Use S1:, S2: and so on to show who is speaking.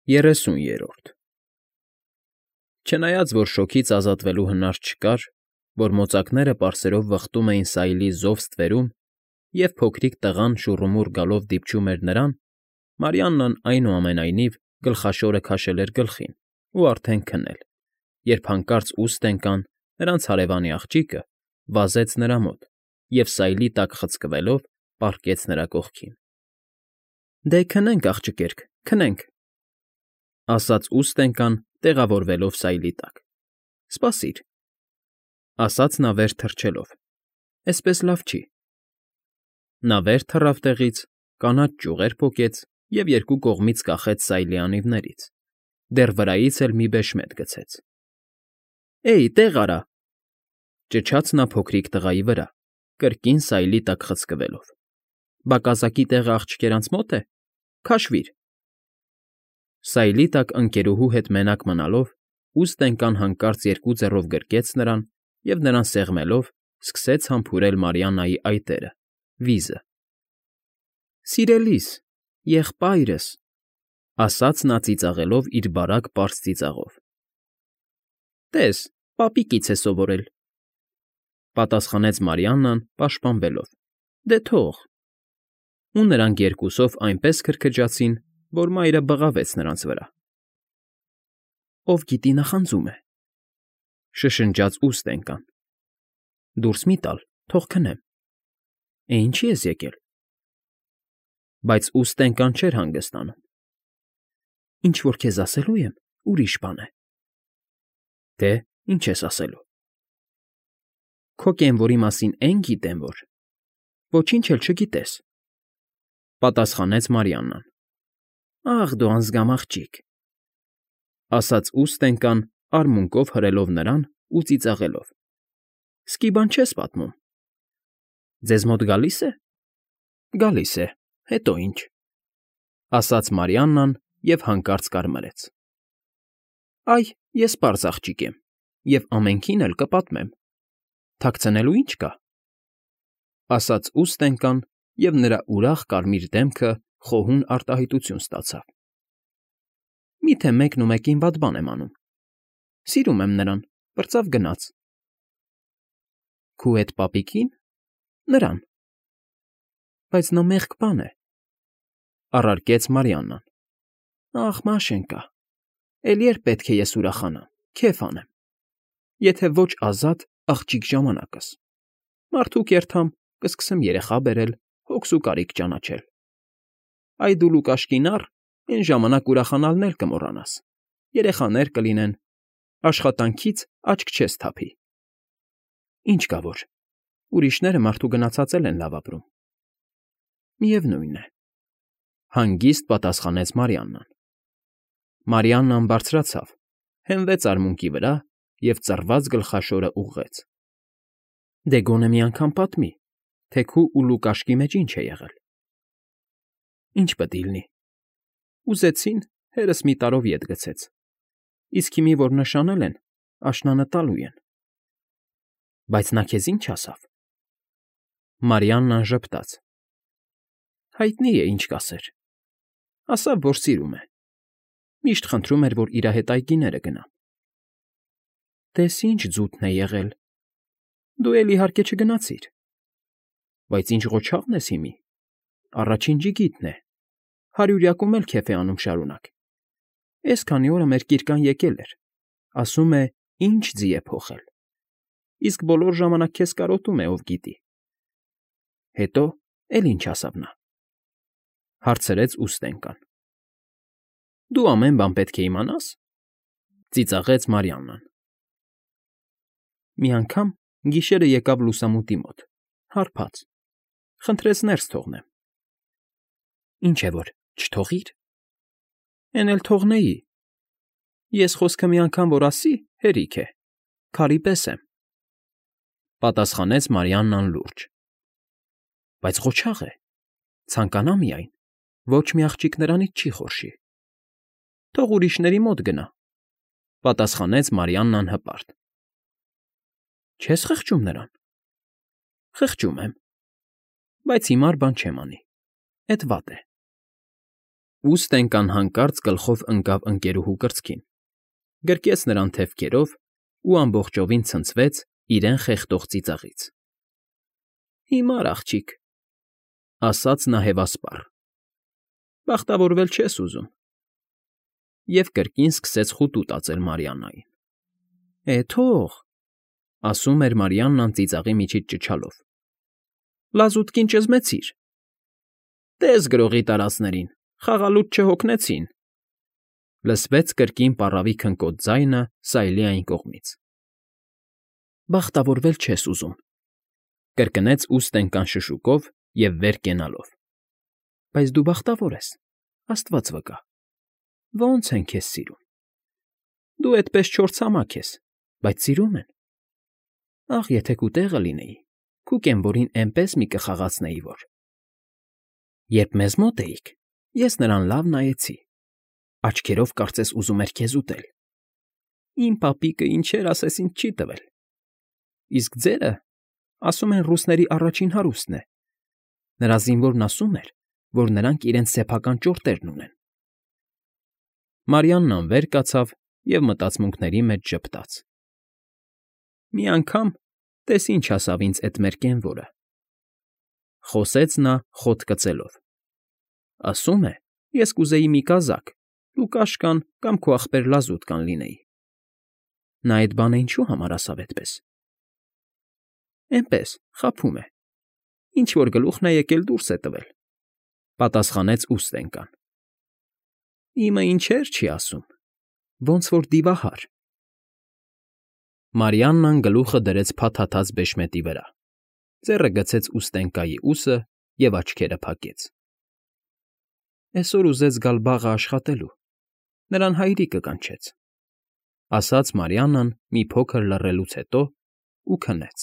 S1: 30-րդ Չնայած որ շոգից ազատվելու հնար չկար, որ մոծակները պարսերով վխտում էին Սայլի զով ստվերում, և փոքրիկ տղան շուռումուռ գալով դիպչում էր նրան, Մարիաննան, այնուամենայնիվ, գլխաշորը քաշել էր գլխին ու արդեն քնել, երբ հանկարծ ուստ ընկան, նրանց հարևանի աղջիկը վազեց նրա մոտ և սայլի տակ խցկվելով պառկեց նրա կողքին։ ֊ Դե քնենք, աղջկերք, քնենք, ֊ ասաց ուստ ընկան, տեղավորվելով սայլի տակ։ ֊ Սպասիր, ֊ ասաց նա վեր թռչելով, ֊ էսպես լավ չի։ Նա վեր թռավ տեղից, կանաչ ճյուղեր պոկեց և երկու կողմից կախեց սայլի անիվներից, դեռ վրայից էլ մի բեշմետ գցեց։ ֊ Էյ, տեղ արա, ֊ ճչաց նա փոքրիկ տղայի վրա, կրկին սայլի տակ խցկվելով։ ֊ Բակազակի տեղը աղջիկերանց մո՞տ է։ Քաշվիր։ Սայլի տակ ընկերուհու հետ մենակ մնալով՝ ուստ ընկան հանկարծ երկու ձեռով գրկեց նրան և, նրան սեղմելով, սկսեց համբուրել Մարիաննայի այտերը՝ վիզը։ ֊ Սիրելի՛ս, եղբայրս, ֊ ասաց նա ծիծաղելով իր բարակ պարզ ծիծաղով։ ֊ Տես, պապիկից է սովորել, ֊ պատասխանեց Մարիաննան պաշտպանվելով։ ֊ Դե թող։ Ու նրանք երկուսով այնպես քրքջացին, որ մայրը բղավեց նրանց վրա։ ֊ Ով գիտի նախանձում է, ֊ շշնջաց ուստ ընկան։ ֊ Դուրս մի՛ տալ, թող քնեմ։ Է, ինչի՞ ես եկել։ Բայց ուստ ընկան չէր հանգստանում։ ֊ Ինչ որ քեզ ասելու եմ, ուրիշ բան է։ ֊ Դե, ինչ ես ասելու։ ֊ Քո կենվորի մասին էն գիտեմ, որ… Ոչինչ էլ չգիտես, ֊ պատասխանեց Մարիաննան։ ֊ Ախ դու անզգամ աղջիկ, ֊ ասաց ուստ ընկան, արմունկով հրելով նրան ու ծիծաղելով։ ֊ Սկի բան չես պատմում։ ֊ Ձեզ մոտ գալի՞ս է։ ֊ Գալիս է, հետո ինչ, ֊ ասաց Մարիաննան և հանկարծ կարմրեց։ ֊ Այ, ես պարզ աղջիկ եմ և ամենքին էլ կպատմեմ։ Թաքցնելու ի՞նչ կա, ֊ ասաց ուստ ընկան, և նրա ուրախ կարմիր դեմքը խոհուն արտահայտություն ստացավ։ ֊ Միթե մեկնումեկին վատ բան եմ անում։ Սիրում եմ նրան, պրծավ գնաց։ ֊ Քո էդ պապիկի՞ն։ Նրան։ Բայց նա մեղք բան է, ֊ առարկեց Մարիաննան։ ֊ Ախ, Մաշենկա, էլի երբ պետք է ես ուրախանամ, քեֆ անեմ, եթե ոչ ազատ աղջիկ ժամանակս, մարդու կերթամ, կսկսեմ երեխա բերել, հոգս ու կարիք ճանաչել։ Այ դու Լուկաշկին առ, էն ժամանակ ուրախանալն էլ կմոռանաս, երեխաներ կլինեն, աշխատանքից աչք չես թափի։ Ինչ կա որ, ուրիշները մարդու գնացած էլ են լավ ապրում։ Միևնույն է, ֊ հանգիստ պատասխանեց Մարիաննան։ Մարիաննան բարձրացավ, հենվեց արմունկի վրա և ծռված գլխաշորը ուղղեց։ ֊ Դե գոնե մի անգամ պատմի, թե քու ու Լուկաշկի մեջ ինչ է եղել։ ֊ Ինչ պտի լինի։ Ուզեցին, հերս մի տարով ետ գցեց, իսկ հիմի, որ նշանել են, աշնանը տալու են։ ֊ Բայց նա քեզ ի՞նչ ասավ։ Մարիաննան ժպտաց։ ֊ Հայտնի է, ինչ կասեր։ Ասավ, որ սիրում է։ Միշտ խնդրում էր, որ իր հետ այգիները գնամ։ ֊ Տես ինչ ձութն է եղել։ Դու էլ, իհարկե, չգնացիր։ Բայց ինչ ղոչաղն ես հիմի, առաջին ջիգիտն է, հարյուրյակում էլ քեֆ է անում շարունակ։ Էս քանի օրը մեր կիրկան եկել էր, ասում է, ինչ ձի է փոխել, իսկ բոլոր ժամանակ քեզ կարոտում է, ով գիտի։ Հետո էլ ինչ ասավ նա, ֊ հարցրեց ուստ ընկան։ ֊ Դու ամեն բան պետք է իմանաս, ֊ ծիծաղեց Մարիաննան։ Մի անգամ գիշերը եկավ լուսամուտի մոտ, հարբած, խնդրեց ներս թողնեմ։ ֊ Ինչ է որ, չթողի՞ր։ ֊ Էն էլ թողնեի։ Ես խոսքը մի անգամ որ ասի, հերիք է, քարի պես եմ, ֊ պատասխանեց Մարիաննան լուրջ։ ֊ Բայց ղոչաղ է, ցանկանա միայն, ոչ մի աղջիկ նրանից չի խորշի։ Թող ուրիշների մոտ գնա, ֊ պատասխանեց Մարիաննան հպարտ։ ֊ Չես խղճում նրան։ ֊ Խղճում եմ, բայց հիմար բան չեմ անի, էդ վատ է։ Ուստենկան հանկարծ գլխով ընկավ ընկերուհու կրծքին, գրկեց նրան թևքերով ու ամբողջովին ցնցվեց իրեն խեղդող ծիծաղից։ ֊ Հիմար աղջիկ,֊ ասաց նա հևասպառ,֊ բախտավորվել չես ուզում… Եվ կրկին սկսեց խուտու տածել Մարիաննային։ ֊ Թող,֊ ասում էր Մարիաննան ծիծաղի միջից ճչալով,֊ լազուտկին ճզմեցիր… Տես գրողի տարածներին, խաղալուց չհոգնեցին…֊ լսվեց կրկին պառավի քնկոտ ձայնը Սայլի այն կողմից։ ֊ Բախտավորվել չես ուզում,֊ կրկնեց ուստենկան շշուկով և վեր կենալով,֊ բայց դու բախտավոր ես, աստված վկա… Ո՜նց են քեզ սիրում… Դու էդպես չորցամաք ես, բայց սիրում են… Ախ, եթե քո տեղը լինեի, քու կենվորին էնպես մի կխաղացնեի, որ… Երբ մեզ մոտ էիք, ես նրան լավ նայեցի, աչքերով կարծես ուզում էր քեզ ուտել… Իմ պապիկը ինչեր ասես ինձ չի տվել… Իսկ ձերը, ասում են, ռուսների առաջին հարուստն է… Նրա զինվորն ասում էր, որ նրանք իրենց սեփական ճորտերն ունեն… Մարիաննան վեր կացավ և մտածմունքների մեջ ժպտաց. «Մի անգամ տես ինչ ասավ ինձ էդ մեր կենվորը…֊ խոսեց նա խոտ կծելով,֊ ասում է, ես կուզեի մի կազակ, լուկաշկան կամ քո ախպեր լազուտկան լինեի… Նա էդ բանը ինչու համար ասավ էդպես… Էնպես, խաբում է… Ինչ֊որ գլուխն է եկել դուրս է տվել,֊ պատասխանեց ուստենկան։ ֊ Իմը ինչեր չի ասում… Ոնց որ դիվահար… Մարիաննան գլուխը դրեց փաթաթած բեշմետի վրա, ձեռը գցեց ուստենկայի ուսը և աչքերը փակեց։ ֊ Էսօր ուզեց գալ բաղը աշխատելու, նրան հայրիկը կանչեց,֊ ասաց Մարիաննան մի փոքր լռելուց հետո ու քնեց։